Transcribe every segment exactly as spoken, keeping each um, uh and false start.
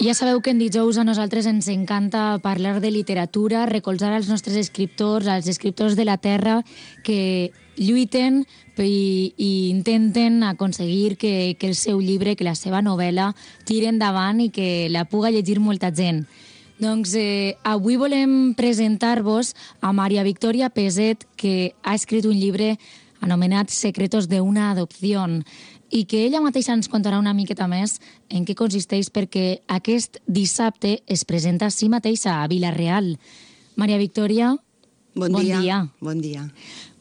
Ja sabeu que en dijous a nosaltres ens encanta parlar de literatura, recolzar els nostres escriptors, els escriptors de la terra que lluiten i, i intenten aconseguir que, que el seu llibre, que la seva novel·la tiri endavant i que la puga llegir molta gent. Doncs eh, avui volem presentar-vos a Maria Victoria Peset, que ha escrit un llibre anomenat Secretos de una adopción, i que ella mateixa ens contarà una miqueta més en què consisteix, perquè aquest dissabte es presenta a si mateixa a Vila-real. Maria Victoria, bon, bon dia. dia. Bon dia.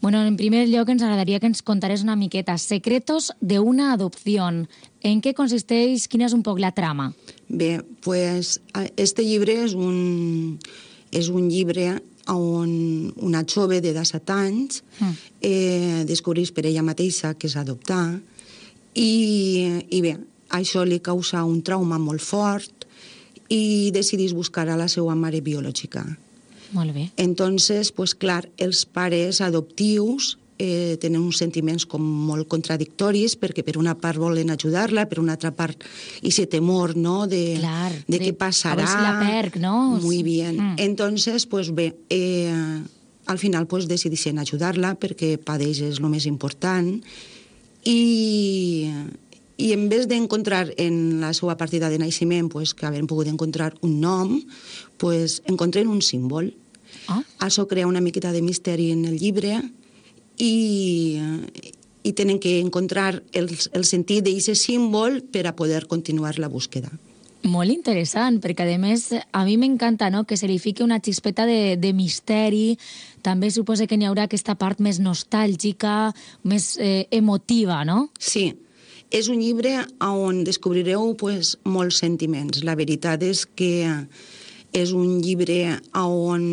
Bueno, en primer lloc ens agradaria que ens contarés una miqueta Secretos de una adopción. En què consisteix? Quina és un poc la trama? Bé, pues, este llibre és un, és un llibre on una jove de disset anys mm. eh, descobreix per ella mateixa que és adoptar. I, i bé, això li causa un trauma molt fort i decidís buscar a la seva mare biològica. Molt bé. Entonces, pues clar, els pares adoptius eh, tenen uns sentiments com molt contradictoris, perquè per una part volen ajudar-la, per una altra part ese temor, ¿no?, de, clar, de, de què passarà. A veure si la perc, ¿no? Muy bien. Mm. Entonces, pues bé, eh, al final pues decideixen ajudar-la perquè per ells és el més important. I, i en vez d'encontrar en la seva partida de naixement pues, que havien pogut encontrar un nom, pues, encontren un símbol. Ah. Això crea una miqueta de misteri en el llibre i, i tenen que encontrar el, el sentit d'aquest símbol per a poder continuar la búsqueda. Molt interessant, perquè a més a mi m'encanta, no?, que se li fiqui una xispeta de, de misteri. També suposo que n'hi haurà aquesta part més nostàlgica, més eh, emotiva, no? Sí, és un llibre on descobrireu pues, molts sentiments. La veritat és que és un llibre on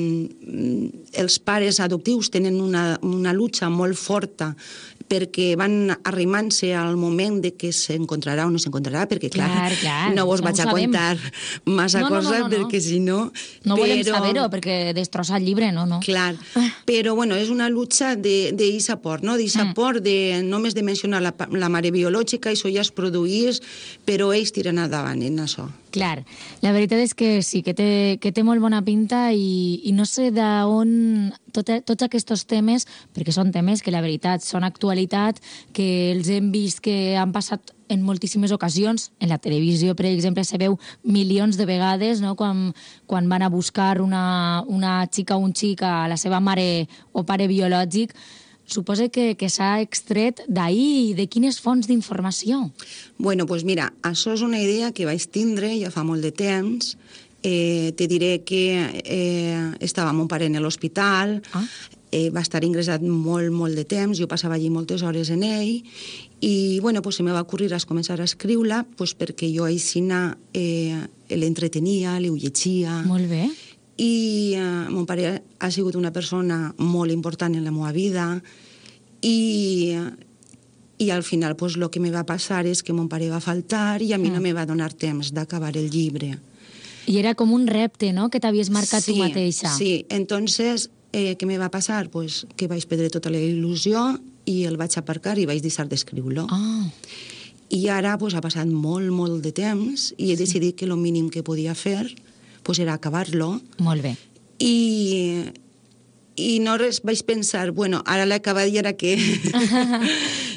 els pares adoptius tenen una, una lucha molt forta perquè van arrimant-se al moment de que s'encontrarà o no s'encontrarà, perquè, clar, clar, clar no vos vaig a contar massa no, no, coses, no, no, no. perquè si no... No però... volem saber-ho, perquè destrossa el llibre, no, no. Clar, però, bueno, és una lucha d'eixa por, no?, d'eixa mm. por de només de mencionar la, la mare biològica, això ja es produís, però ells tiren endavant en això. Clar, la veritat és que sí, que té, que té molt bona pinta i, i no sé d'on tot, tots aquests temes, perquè són temes que la veritat són actualitat, que els hem vist que han passat en moltíssimes ocasions. En la televisió, per exemple, se veu milions de vegades, no?, quan, quan van a buscar una, una xica o un xic a la seva mare o pare biològic. Suposo que, que s'ha extret d'ahir. De quines fonts d'informació? Bueno, doncs pues mira, això és una idea que vaig tindre ja fa molt de temps. Eh, te diré que eh, estava mon pare en l'hospital, ah. eh, va estar ingressat molt, molt de temps, jo passava allí moltes hores en ell, i bueno, pues, se me va ocurrir a començar a escriure pues, perquè jo aixina eh, l'entretenia, li ho llegia. Molt bé. I eh, mon pare ha sigut una persona molt important en la meva vida i, i al final pues, el que me va passar és que mon pare va faltar i a mi mm. no me va donar temps d'acabar el llibre. I era com un repte, no?, que t'havies marcat sí, tu mateixa. Sí, entonces, eh, què me va passar? Pues, que vaig perdre tota la il·lusió i el vaig aparcar i vaig deixar d'escriure-lo. Ah. I ara pues, ha passat molt, molt de temps i he sí. decidit que el mínim que podia fer pues era acabar-lo. Molt bé. I, i no res, vaig pensar, bueno, ara l'he acabat i ara què?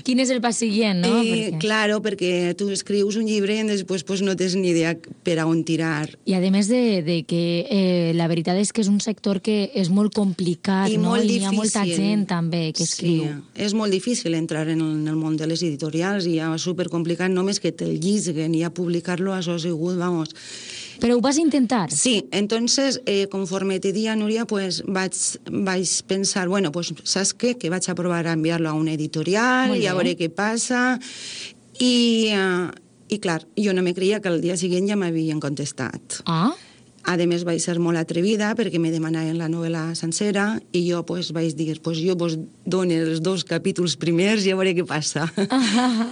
Quin és el pas següent, no? I, perquè... Claro, perquè tu escrius un llibre i després pues, no tens ni idea per a on tirar. I a més de, de que eh, la veritat és que és un sector que és molt complicat, I no? Molt I difícil. Hi ha molta gent també que escriu. Sí, és molt difícil entrar en el, en el món de les editorials i és supercomplicat, només que te'l llisguen i a publicar-lo, això ha sigut, vamos... Però ho vas intentar? Sí, entonces, eh, conforme te dia, Núria, pues, vaig, vaig pensar, bueno, pues, saps què? Que vaig a provar a enviar-lo a una editorial i a veure què passa. I, uh, i clar, jo no me creia que el dia següent ja m'havien contestat. Ah? A més, vaig ser molt atrevida perquè me demanaven la novel·la sencera i jo pues, vaig dir, pues, jo vos dono els dos capítols primers i a veure què passa. Ah.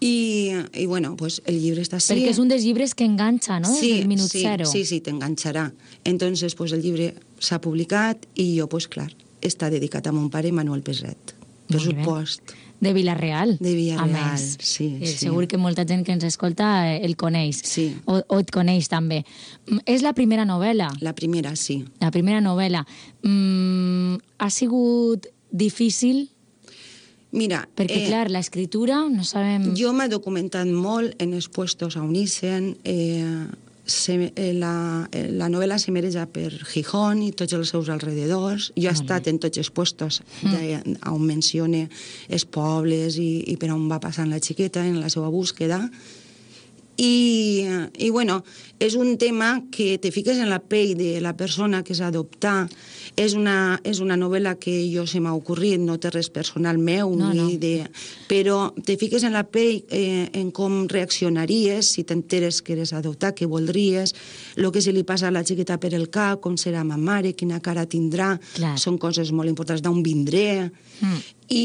I, i bueno, pues el llibre està així. Perquè és un dels llibres que enganxa, no? Sí, el minut sí, zero. Sí, sí, t'enganxarà. Entonces, pues el llibre s'ha publicat i jo, pues clar, està dedicat a mon pare Manuel Peset. per Molt bé. supost. De Vila-real, De Vila-real, a més. sí, Eh, sí. Segur que molta gent que ens escolta eh, el coneix, Sí. o, o et coneix també. Mm, És la primera novel·la, La primera, sí. la primera novel·la. Mm, ha sigut difícil? Mira, Perquè, eh, clar, l'escriptura, no sabem... jo m'he documentat molt en els puestos a Unissen. Eh, se, eh, la, eh, la novel·la se mereja per Gijón i tots els seus alrededors. Jo he estat en tots els puestos de, on menciona els pobles i, i per on va passant la xiqueta en la seva búsqueda. I, i bueno, és un tema que te fiques en la pell de la persona que s'ha d'adoptar. És una, és una novel·la que jo se m'ha ocorrit, no té res personal meu, No, ni no. de... però te fiques en la pell eh, en com reaccionaries si t'enteres que eres adoptat, què voldries, el que se li passa a la xiqueta per el cap, com serà ma mare, quina cara tindrà, Clar. són coses molt importants, d'on vindré. Mm. I,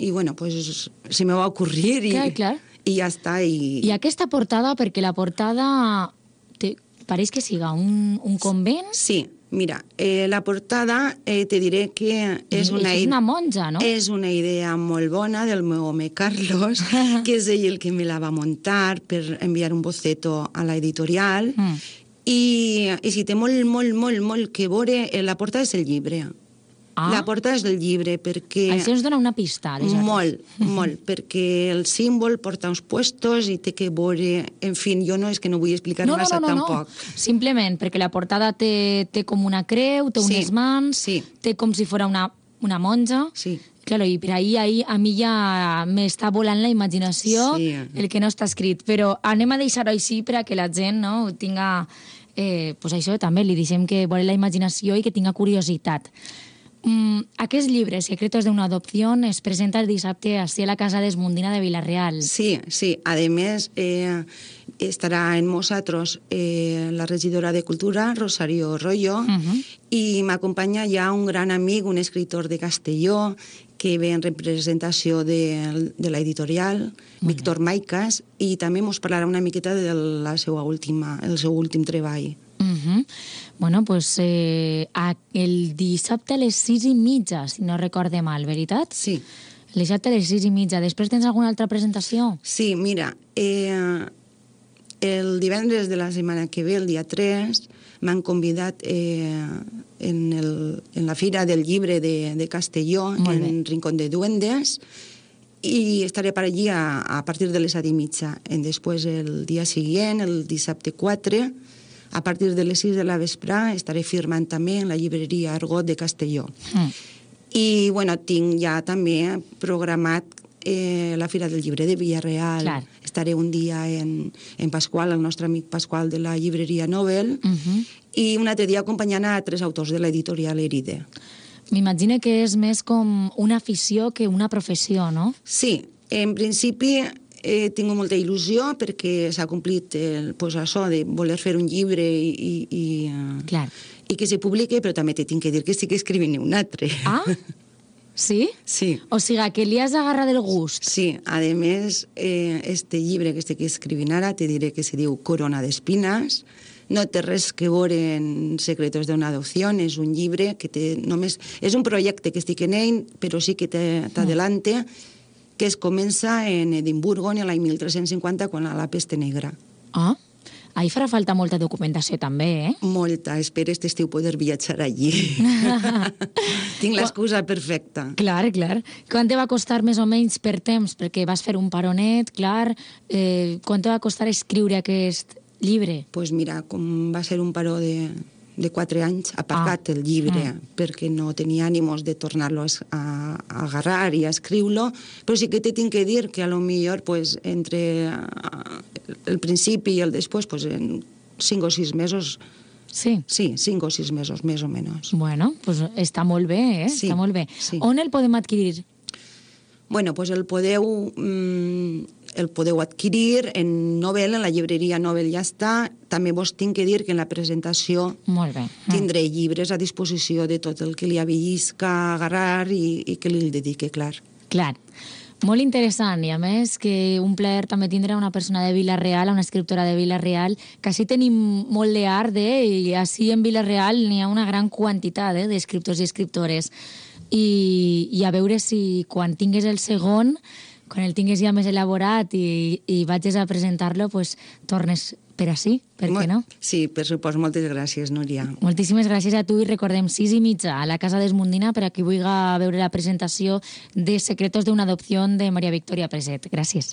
i bueno, pues, se me va ocorrir i, Clar, clar. i ja està. I, I aquesta portada, perquè la portada te, pareix que siga un, un convent. Sí, mira, eh, la portada eh, te diré que és I- una, i és ide- una monja, no? És una idea molt bona del meu home Carlos, que és ell el que me la va muntar per enviar un boceto a la editorial. Mm. I, i si té molt, molt, molt, molt que veure, eh, la portada és el llibre. Ah. La portada és del llibre, perquè... Això ens dona una pista, aleshores. Molt, molt, perquè el símbol porta uns puestos i té que veure... En fi, jo no és que no vull explicar No, no, massa no, no, no. tampoc. Simplement perquè la portada té, té com una creu, té Sí, unes mans, sí. té com si fos una, una monja. Sí. Claro, i per ahí, ahí a mi ja m'està volant la imaginació Sí. el que no està escrit. Però anem a deixar-ho així per a que la gent no, tinga... Eh, pues això també, li deixem que vole la imaginació i que tinga curiositat. Mm, aquest llibre, Secretos de una adopción, es presenta el dissabte així a la Casa d'Esmundina de Vila-real. Sí, sí. Además, eh, estarà en nosaltres eh, la regidora de Cultura, Rosario Rollo, Uh-huh. i m'acompanya ja un gran amic, un escritor de Castelló, que ve en representació de, de l'editorial, Víctor Maicas, i també ens parlarà una miqueta de la seva última, el seu últim treball. Uh-huh. Bueno, pues eh, a- el dissabte a les sis i mitja, si no recorde mal, veritat? Sí. El dissabte a les sis i mitja. Després tens alguna altra presentació? Sí, mira, eh, el divendres de la setmana que ve, el dia tres, m'han convidat eh, en, el, en la Fira del Llibre de, de Castelló, Molt en Rincón de Duendes, i estaré per allí a, a partir de les set i mitja. En després, el dia següent, el dissabte quatre, a partir de les sis de la vesprà, estaré firmant també en la llibreria Argot de Castelló. Mm. I, bueno, tinc ja també programat eh, la Fira del Llibre de Villarreal. Clar. Estaré un dia en, en Pasqual, el nostre amic Pasqual de la llibreria Nobel, Uh-huh. i un altre dia acompanyant a tres autors de l'editorial Eride. M'imagino que és més com una afició que una professió, no? Sí, en principi he tingut molta il·lusió perquè s'ha complit el, pues, això de voler fer un llibre i, i, i, eh, Clar. i que se publique, però també te tinc que dir que estic escrivint un altre. Ah? Sí? Sí. O sigui, que li has agarrat el gust. Sí, a més, eh, este llibre que estic escrivint ara, te diré que se diu Corona d'Espines, no té res que veure en Secretos d'una adopció, és un llibre que té només... És un projecte que estic en ell, però sí que t'adelante, que es comença en Edimburgo en l'any mil tres-cents cinquanta, quan la peste negra. Ah, ahí farà falta molta documentació també, eh? Molta, espero este estiu poder viatjar allí. Tinc l'excusa perfecta. Clar, clar. Quant te va costar més o menys per temps? Perquè vas fer un paronet, clar. Eh, quant te va costar escriure aquest llibre? Pues mira, com va ser un paró de, de quatre anys, aparcat Ah. el llibre, Mm. perquè no tenia ànimos de tornar-lo a, es- a, a agarrar i a escriure-lo, però sí que te tinc que dir que a lo millor pues, entre ah, el principi i el després, pues, en cinc o sis mesos, Sí. sí, cinc o sis mesos, més o menys. Bueno, pues està molt bé, eh? Sí, Està molt bé. sí. On el podem adquirir? Bueno, pues el podeu, mm, el podeu adquirir en Nobel, en la llibreria Nobel ja està. També vos tinc que dir que en la presentació Molt bé. Mm. tindré llibres a disposició de tot el que li avellisca, agarrar i, i que li dedique, clar. Clar. Molt interessant, i a més que un plaer també tindre una persona de Vila-real, una escriptora de Vila-real, que així tenim molt d'art, eh? I així en Vila-real n'hi ha una gran quantitat eh? d'escriptors i escriptores. i, i a veure si quan tingues el segon, quan el tingues ja més elaborat i, i vagis a presentar-lo, pues, tornes per ací, per què no? Sí, per supost. Moltes gràcies, Núria. Moltíssimes gràcies a tu i recordem, sis i mitja a la Casa d'Esmundina per a qui vulgui veure la presentació de Secretos d'una adopció de Maria Victoria Preset. Gràcies.